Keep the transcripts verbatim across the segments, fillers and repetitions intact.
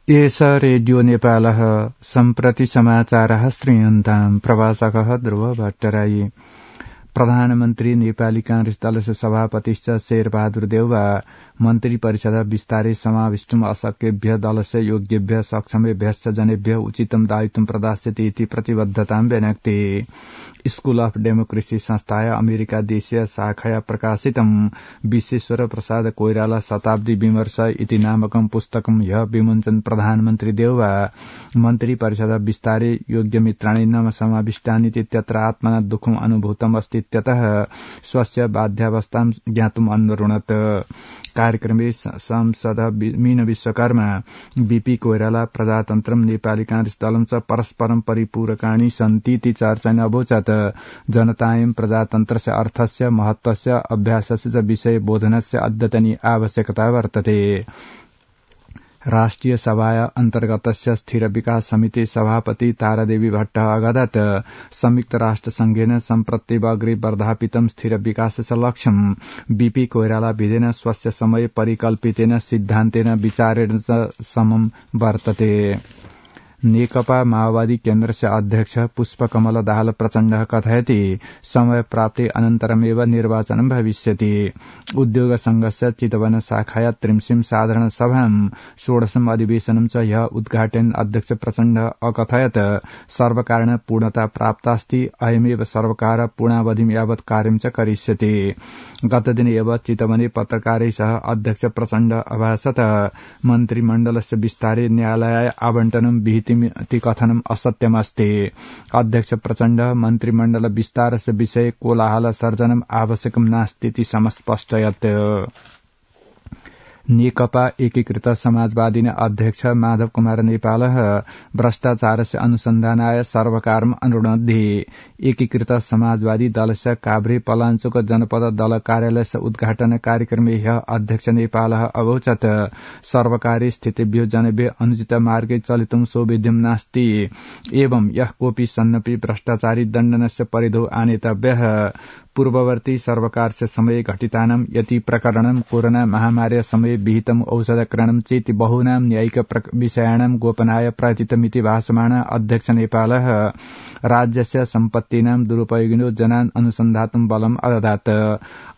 एष रेडियो नेपालः सम्प्रति समाचारः श्रूयन्ताम् प्रवाचकः ध्रुव भट्टराई। प्रधानमन्त्री नेपाली कांग्रेस दलस्य सभापतिश्च शेरबहादुर देउवा मन्त्री परिषद विस्तारै समाविष्टुम् अशक्येभ्य दलस्य योग्येभ्य सक्षमेभ्यश्च जनेभ्य उचितं दायित्वं प्रदास्यति इति प्रतिबद्धतां व्यनक्ति। स्कूल अफ डेमोक्रेसी संस्थाय अमेरिका देशीय शाखाया प्रकाशितं विश्वेश्वर प्रसाद कोइराला शताब्दी विमर्श इति नामकं पुस्तकं ह्य विमोचन प्रधानमन्त्री देउवा मन्त्री परिषद विस्तारै योग्यमित्राणि न समाविष्टानिति त्यत्र आत्मना दुःखम् अनुभूतम् अस्ति इत्यतः स्वस्य बाध्यावस्थां ज्ञातुम् अनुरुणत्। कार्यक्रमे सांसद मीन विश्वकर्मा बीपी कोइराला प्रजातन्त्रं नेपाली कांग्रेस दलं च परस्परं परिपूरकाणि सन्तीति चर्चेन अवोचत्। जनतायं प्रजातन्त्रस्य अर्थस्य महत्त्वस्य अभ्यासस्य च विषये बोधनस्य अद्यतनी आवश्यकता वर्तते। राष्ट्रिय सभाया अन्तर्गतस्य स्थिर विकास समिति सभापति तारादेवी भट्ट अगादत संयुक्त राष्ट्र संघेन सम्प्रत्येव अग्रे वर्धापितं स्थिर विकासस्य लक्ष्यं बीपी कोइराला विधेन स्वस्य समय परिकल्पितेन सिद्धान्तेन विचारेण च समं वर्तते। नेकपा माओवादी केन्द्रस्य अध्यक्ष पुष्पकमल दाहाल प्रचण्डः कथयति समय प्राप्ति अनन्तरमेव निर्वाचनं भविष्यति। उद्योग संघस्य चितवन शाखाया त्रिंशीं साधारण सभां षोडशम् अधिवेशनं च ह्यः उद्घाटयन् अध्यक्ष प्रचण्डः अकथयत् सर्वकारेण पूर्णता प्राप्तास्ति अयमेव सर्वकार पूर्णावधिं यावत् कार्यं च करिष्यति। गतदिने एव चितवने पत्रकारैः सह अध्यक्ष प्रचण्डः अभाषत मन्त्रिमण्डलस्य विस्तारे न्यायालयाय आवण्टनं विहिति कथनम् असत्यमस्ति। अध्यक्ष प्रचण्ड मन्त्रिमण्डल विस्तारस्य विषये कोलाहल सर्जनम् आवश्यकं नास्तीति समस्पष्टयत्। नेकपा एकीकृत समाजवादीन अध्यक्ष माधव कुमार नेपालः भ्रष्टाचारस्य अनुसन्धानाय सर्वकारम् अनुरुणद्धि। एकीकृत समाजवादी दलस्य काभ्रे पलाञ्चोक जनपद दल कार्यालयस्य उद्घाटन कार्यक्रमे ह्यः अध्यक्ष नेपालः अवोचत् सर्वकारी स्थितिभ्यो जनेभ्यो अनुचित मार्गे चलितुं सौविध्यं नास्ति एवं यः कोऽपि सन्नपि भ्रष्टाचारी दण्डनस्य परिधौ आनेतव्यः। पूर्ववर्ती सर्वकारस्य समये घटितानां यति प्रकरणं कोरोना महामार्या समये विहितम् औषधकरणं चेति बहूनां न्यायिक विषयाणां गोपनाय प्रयतितमिति भाषमाण अध्यक्ष नेपालः राज्यस्य सम्पत्तीनां दुरुपयोगिनो जनान् अनुसन्धातुं बलम् अददात्।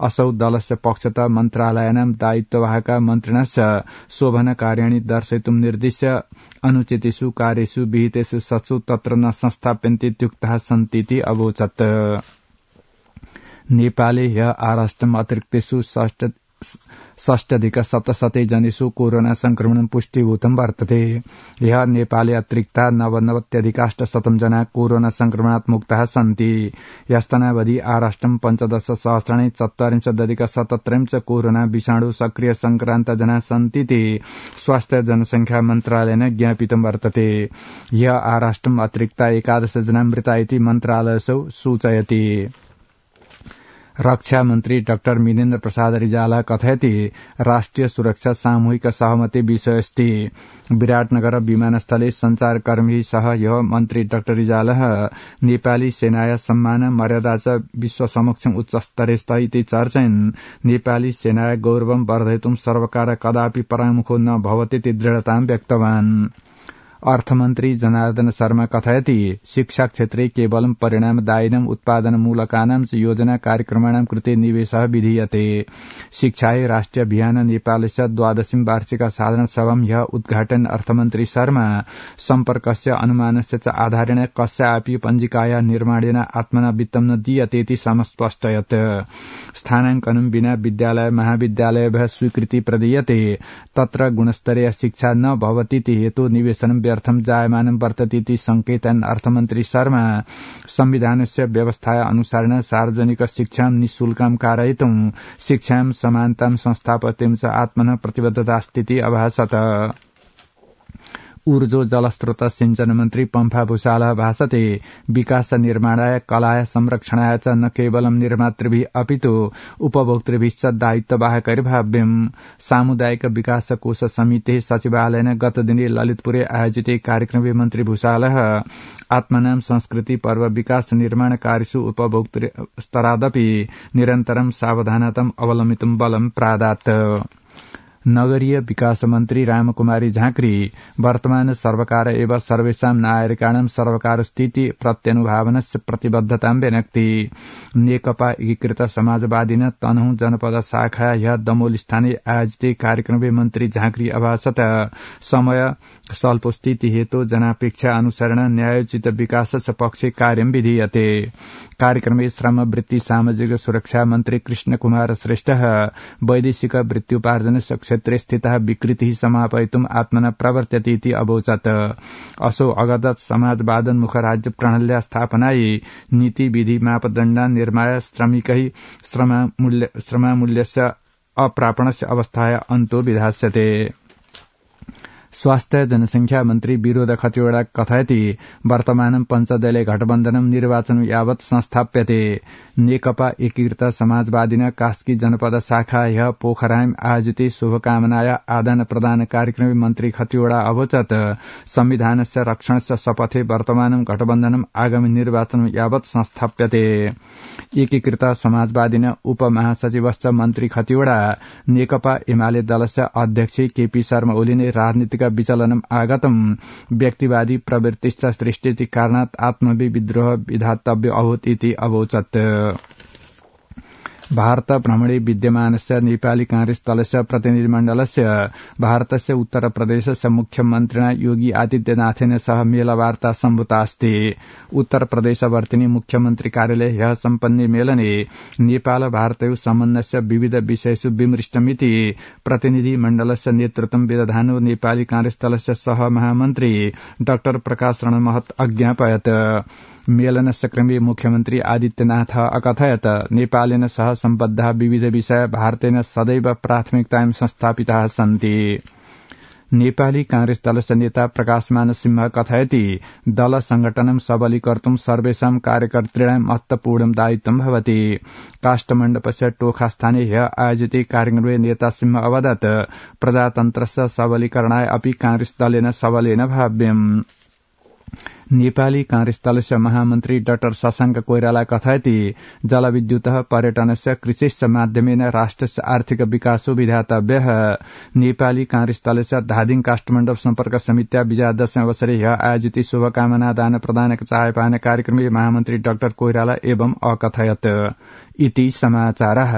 असौ दलस्य पक्षतः मन्त्रालयानां दायित्ववाहका मन्त्रिणश्च शोभन कार्याणि दर्शयितुं निर्दिश्य अनुचितेषु कार्येषु विहितेषु सत्सु तत्र न संस्थाप्यन्तीत्युक्ताः सन्तीति अवोचत्। नेपाले ह्यः आराष्ट्रम् अतिरिक्तेषु षष्टधिक सप्तशते जनेषु कोरोना संक्रमणं पुष्टीभूतं वर्तते। ह्यः नेपाले अतिरिक्ता नवनवत्यधिकाष्टशतं जना कोरोना संक्रमणात् मुक्ताः सन्ति। ह्यस्तनावधि आराष्ट्रं पञ्चदश सहस्राणि चत्वारिंशदधिक सतत्रं च कोरोना विषाणु सक्रिय संक्रान्त जना सन्तीति स्वास्थ्य जनसंख्या मन्त्रालयेन ज्ञापितं वर्तते। ह्यः आराष्ट्रम् अतिरिक्ता एकादश जना मृता इति मन्त्रालयसौ सूचयति। रक्षा मन्त्री डाक्टर मिनेन्द्र प्रसाद रिजाल कथयति राष्ट्रिय सुरक्षा सामूहिक सहमति विषयस्ति। विराटनगर विमानस्थले संचारकर्मी सह ह्यः मन्त्री डाक्टर रिजालः नेपाली सेनाया सम्मान मर्यादा च विश्व समक्षम् उच्चस्तरे इति चर्चयन् नेपाली सेनाया गौरवं वर्धयितुं सर्वकार कदापि परामुखो न भवतीति दृढतां व्यक्तवान्। अर्थमन्त्री जनार्दन शर्मा कथयति शिक्षा क्षेत्रे केवलं परिणामदायिनम् उत्पादनमूलकानां च योजना कार्यक्रमाणां कृते निवेशः विधीयते। शिक्षायै राष्ट्रिय अभियान नेपालस्य द्वादशीं वार्षिक साधारण सभां ह्यः उद्घाटयन् अर्थमन्त्री शर्मा सम्पर्कस्य अनुमानस्य च आधारेण कस्यापि पञ्जिकाया निर्माणेन आत्मना वित्तं न दीयतेति समस्पष्टयत्। स्थानाङ्कनं विना विद्यालय महाविद्यालयेभ्यः स्वीकृति प्रदीयते तत्र गुणस्तरीय शिक्षा न भवतीति हेतु निवेशनं व्यर्थं जायमानं वर्ततीति संकेतयन् अर्थमन्त्री शर्मा संविधानस्य व्यवस्थाया अनुसारेण सार्वजनिक शिक्षां निःशुल्कं कारयितुं शिक्षां समानतां संस्थापयितुं च आत्मनः प्रतिबद्धतास्तीति अभाषत। ऊर्जो जलस्रोत सिंचन मन्त्री पम्फा भूषालः भाषते विकास निर्माणाय कलाय संरक्षणाय च न केवलं निर्मातृभिः अपितु उपभोक्तृभिश्च दायित्ववाहकैर्भाव्यम्। सामुदायिक विकास कोष समितेः सचिवालयेन गतदिने ललितपुरे आयोजिते कार्यक्रमे मन्त्री भूषालः आत्मनां संस्कृति पर्व विकास निर्माण कार्येषु उपभोक्तृ स्तरादपि निरन्तरं सावधानताम् अवलम्बितुं बलं प्रादात्। नगरीय विकास मन्त्री रामकुमारी झाँक्री वर्तमान सर्वकार एव सर्वेषां नागरिकाणां सर्वकार स्थिति प्रत्यनुभावनस्य प्रतिबद्धतां व्यनक्ति नेकपा एकीकृत समाजवादिन तनहुँ जनपद शाखा ह्य दमोल स्थानीय आयोजित कार्यक्रमे मन्त्री झाँक्री अभासत समय स्वल्प स्थिति हेतु जनापेक्षा अनुसरण न्यायोचित विकासस्य पक्षे कार्यं विधीयते कार्यक्रमे श्रम वृत्ति सामाजिक सुरक्षा मन्त्री कृष्ण कुमार श्रेष्ठ वैदेशिक वृत्त्युपार्जनस्य क्षेत्रे स्थितः विकृतिः समापयितुम् आत्मना प्रवर्त्यते इति अवोचत् असो अगदत् समाजवादोन्मुख राज्य प्रणाल्या स्थापनायै नीति विधि मापदण्डा निर्माय श्रमिकै श्रमामूल्यस्य अप्रापणस्य अवस्थाया अन्तो विधास्यते स्वास्थ्य जनसंख्या मन्त्री विरोध खतिवड़ा कथयति वर्तमानं पञ्चदलीय गठबन्धनं निर्वाचन यावत् संस्थाप्यते नेकपा एकीकृत समाजवादिन कास्की जनपद शाखा ह्य पोखराम आयोजित शुभकामनाया आदान प्रदान कार्यक्रमे मन्त्री खतिवड़ा अवोचत् संविधानस्य रक्षणस्य शपथे वर्तमानं गठबन्धनं आगामी निर्वाचन यावत् संस्थाप्यते एकीकृत समाजवादिन उपमहासचिवश्च मन्त्री खतिवड़ा नेकपा एमाले दलस्य अध्यक्ष केपी शर्मा ओलीले राजनीतिक विचलनम् आगतम् व्यक्तिवादी प्रवृत्तिश्च सृष्टिति कारणात् आत्मवि विद्रोह विधातव्य अभूत् इति अवोचत् भारत भ्रमणे विद्यमानस्य नेपाली कांग्रेस दलस्य प्रतिनिधिमण्डलस्य भारतस्य उत्तर प्रदेशस्य मुख्यमन्त्रिणा योगी आदित्यनाथेन सह मेलवार्ता सम्भूता अस्ति उत्तर प्रदेशवर्तिनि मुख्यमन्त्री कार्यालये ह्यः सम्पन्ने मेलने नेपाल भारतयोः सम्बन्धस्य विविध विषयेषु विमृष्टमिति प्रतिनिधिमण्डलस्य नेतृत्वं विदधानो नेपाली कांग्रेस दलस्य सह महामन्त्री डाक्टर प्रकाश रणमहत अज्ञापयत् मेलनस्य क्रमे मुख्यमन्त्री आदित्यनाथ अकथयत् नेपालेन सह सम्बद्धाः विविध विषय भारतेन सदैव प्राथमिकतायां संस्थापिताः सन्ति नेपाली कांग्रेस दलस्य नेता प्रकाशमान सिंह कथयति दल संगठनं सबलीकर्तुं सर्वेषां कार्यकर्तॄणां महत्वपूर्णं दायित्वं भवति काष्ठमण्डपस्य टोखास्थाने ह्यः आयोजिते कार्यक्रमे नेता सिंह अवदत् प्रजातन्त्रस्य सबलीकरणाय अपि कांग्रेस दलेन सबलेन भाव्यम् नेपाली कांग्रेस दलस्य महामन्त्री डाक्टर शशाङ्क कोइराला कथयति जलविद्युतः पर्यटनस्य कृषिश्च माध्यमेन राष्ट्रस्य आर्थिक विकासो विधातव्यः नेपाली कांग्रेस दलस्य धादिङ काष्ठमण्डप सम्पर्क समित्या विजयादशमी अवसरे ह्यः आयोजित शुभकामना दान प्रदान चायपान कार्यक्रमे महामन्त्री डाक्टर कोइराला एवं अकथयत् इति समाचारः।